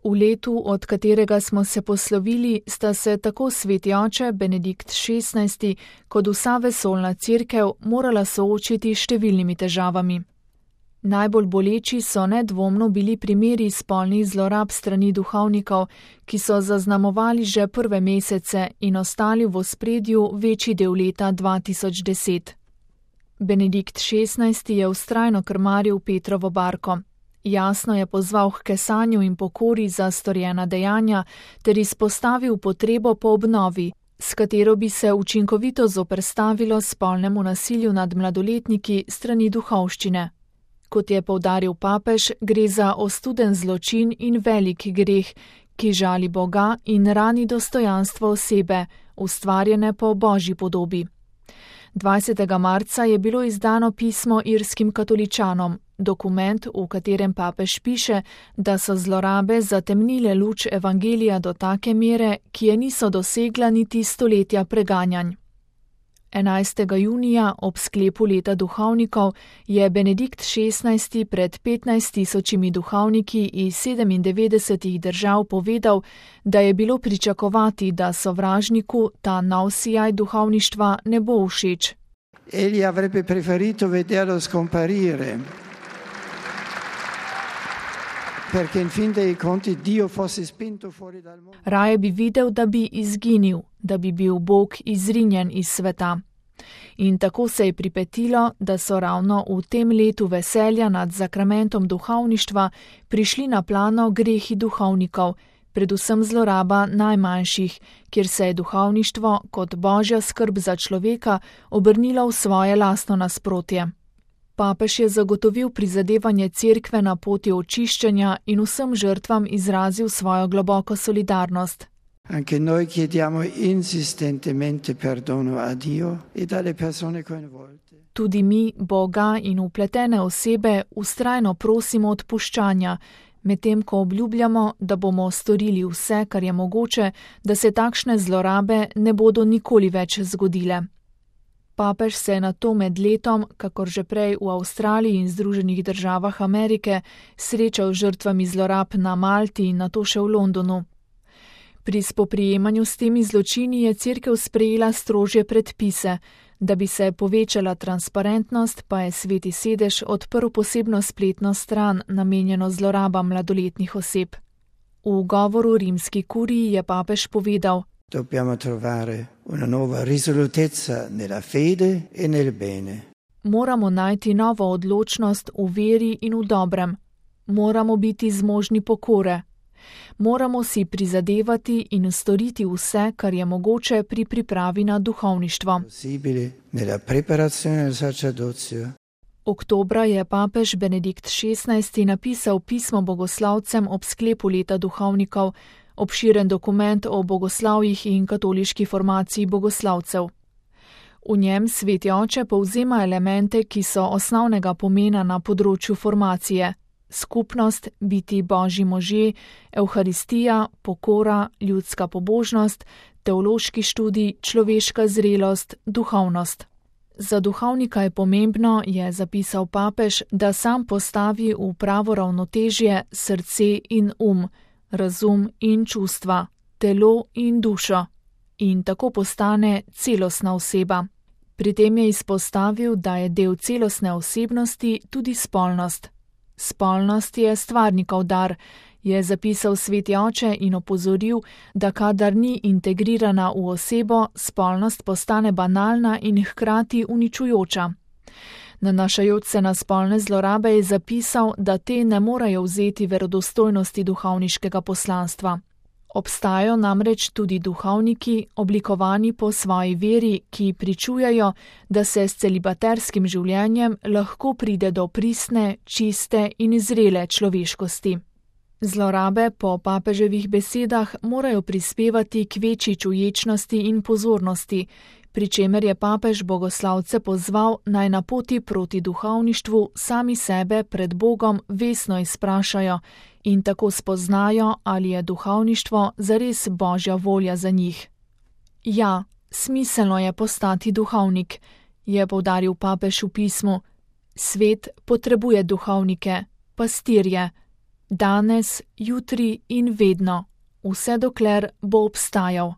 V letu, od katerega smo se poslovili, sta se tako sveti oče Benedikt XVI kot vsa vesoljna cerkev morala soočiti s številnimi težavami. Najbolj boleči so nedvomno bili primeri spolnih zlorab strani duhovnikov, ki so zaznamovali že prve mesece in ostali v ospredju večji del leta 2010. Benedikt XVI je vztrajno krmaril Petrovo barko. Jasno je pozval k kesanju in pokori za storjena dejanja ter izpostavil potrebo po obnovi, s katero bi se učinkovito zoperstavilo spolnemu nasilju nad mladoletniki strani duhovščine. Kot je poudaril papež, gre za ostuden zločin in velik greh, ki žali Boga in rani dostojanstvo osebe, ustvarjene po Božji podobi. 20. marca je bilo izdano pismo irskim katoličanom, dokument, v katerem papež piše, da so zlorabe zatemnile luč evangelija do take mere, ki je niso dosegla niti stoletja preganjanj. 11. junija ob sklepu leta duhovnikov je Benedikt XVI pred 15.000 duhovniki iz 97 držav povedal, da je bilo pričakovati, da sovražniku ta nov sijaj duhovništva ne bo všeč. Egli avrebbe preferito vederlo scomparire. Raje bi videl, da bi izginil, da bi bil Bog izrinjen iz sveta. In tako se je pripetilo, da so ravno v tem letu veselja nad zakramentom duhovništva prišli na plano grehi duhovnikov, predvsem zloraba najmanjših, kjer se je duhovništvo kot božja skrb za človeka obrnilo v svoje lastno nasprotje. Papež je zagotovil prizadevanje cerkve na poti očiščenja in vsem žrtvam izrazil svojo globoko solidarnost. Anche noi chiediamo insistentemente perdono a Dio e alle persone coinvolte. Tudi mi, Boga in vpletene osebe vztrajno prosimo odpuščanja, medtem ko obljubljamo, da bomo storili vse, kar je mogoče, da se takšne zlorabe ne bodo nikoli več zgodile. Papež se je nato med letom, kakor že prej v Avstraliji in Združenih državah Amerike, srečal z žrtvami zlorab na Malti in nato še v Londonu. Pri spoprijemanju s temi zločini je cerkev sprejela strožje predpise. Da bi se povečala transparentnost, pa je Sveti sedež odprl posebno spletno stran, namenjeno zlorabam mladoletnih oseb. V govoru rimski kuriji je papež povedal: Dobbiamo trovare una nuova risolutezza nella fede e nel bene. Moramo najti novo odločnost v veri in v dobrem. Moramo biti zmožni pokore. Moramo si prizadevati in storiti vse, kar je mogoče pri pripravi na duhovništvo. Oktobra je papež Benedikt XVI napisal pismo bogoslavcem ob sklepu leta duhovnikov, obširen dokument o bogoslavjih in katoliški formaciji bogoslavcev. V njem sveti oče povzema elemente, ki so osnovnega pomena na področju formacije. Skupnost, biti božji možje, evharistija, pokora, ljudska pobožnost, teološki študij, človeška zrelost, duhovnost. Za duhovnika je pomembno, je zapisal papež, da sam postavi v pravo ravnotežje srce in razum in čustva, telo in dušo in tako postane celostna oseba. Pri tem je izpostavil, da je del celostne osebnosti tudi spolnost. Spolnost je stvarnikov dar, je zapisal sveti oče in opozoril, da kadar ni integrirana v osebo, spolnost postane banalna in hkrati uničujoča. Nanašajoč se na spolne zlorabe je zapisal, da te ne morejo vzeti verodostojnosti duhovniškega poslanstva. Obstajajo namreč tudi duhovniki, oblikovani po svoji veri, ki pričujejo, da se s celibaterskim življenjem lahko pride do pristne, čiste in zrele človeškosti. Zlorabe po papeževih besedah morajo prispevati k večji čuječnosti in pozornosti, pri čemer je papež bogoslavce pozval, naj na poti proti duhovništvu sami sebe pred Bogom vestno izprašajo in tako spoznajo, ali je duhovništvo zares božja volja za njih. Ja, smiselno je postati duhovnik, je poudaril papež v pismu. Svet potrebuje duhovnike, pastirje. danes, jutri in vedno, vse dokler bo obstajal.